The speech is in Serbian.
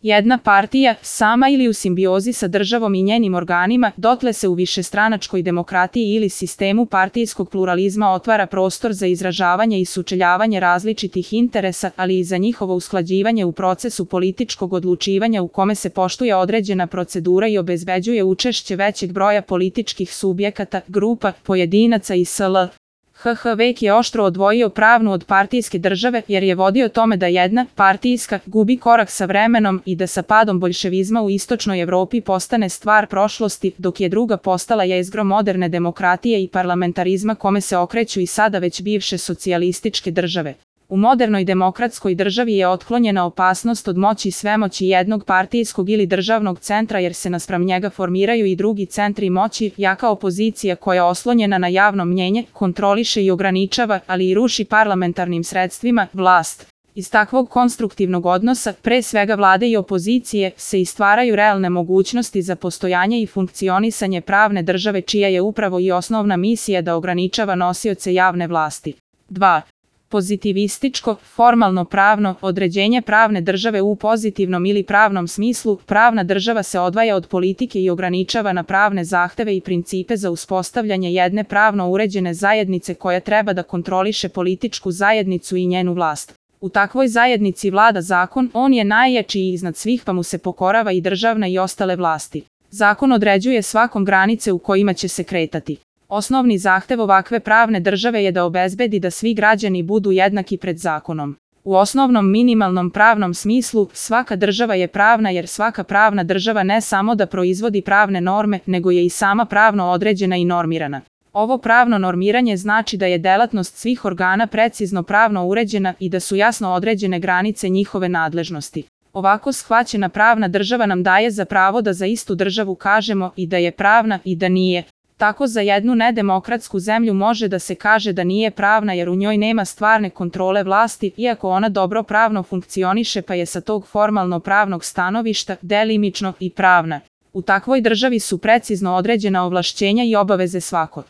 jedna partija, sama ili u simbiozi sa državom i njenim organima, dotle se u višestranačkoj demokratiji ili sistemu partijskog pluralizma otvara prostor za izražavanje i sučeljavanje različitih interesa, ali i za njihovo usklađivanje u procesu političkog odlučivanja u kome se poštuje određena procedura i obezbeđuje učešće većeg broja političkih subjekata, grupa, pojedinaca i sl. Vek je oštro odvojio pravnu od partijske države jer je vodio tome da jedna, partijska, gubi korak sa vremenom i da sa padom boljševizma u istočnoj Evropi postane stvar prošlosti, dok je druga postala jezgro moderne demokratije i parlamentarizma kome se okreću i sada već bivše socijalističke države. U modernoj demokratskoj državi je otklonjena opasnost od moći svemoći jednog partijskog ili državnog centra jer se naspram njega formiraju i drugi centri moći, jaka opozicija koja oslonjena na javno mnjenje, kontroliše i ograničava, ali i ruši parlamentarnim sredstvima, vlast. Iz takvog konstruktivnog odnosa, pre svega vlade i opozicije, se i stvaraju realne mogućnosti za postojanje i funkcionisanje pravne države čija je upravo i osnovna misija da ograničava nosioce javne vlasti. 2. Pozitivističko, formalno pravno, određenje pravne države u pozitivnom ili pravnom smislu, pravna država se odvaja od politike i ograničava na pravne zahteve i principe za uspostavljanje jedne pravno uređene zajednice koja treba da kontroliše političku zajednicu i njenu vlast. U takvoj zajednici vlada zakon, on je najjači i iznad svih pa mu se pokorava i državna i ostale vlasti. Zakon određuje svakom granice u kojima će se kretati. Osnovni zahtev ovakve pravne države je da obezbedi da svi građani budu jednaki pred zakonom. U osnovnom minimalnom pravnom smislu, svaka država je pravna jer svaka pravna država ne samo da proizvodi pravne norme, nego je i sama pravno određena i normirana. Ovo pravno normiranje znači da je delatnost svih organa precizno pravno uređena i da su jasno određene granice njihove nadležnosti. Ovako shvaćena pravna država nam daje za pravo da za istu državu kažemo i da je pravna i da nije. Tako za jednu nedemokratsku zemlju može da se kaže da nije pravna jer u njoj nema stvarne kontrole vlasti, iako ona dobro pravno funkcioniše pa je sa tog formalno pravnog stanovišta delimično i pravna. U takvoj državi su precizno određena ovlašćenja i obaveze svakog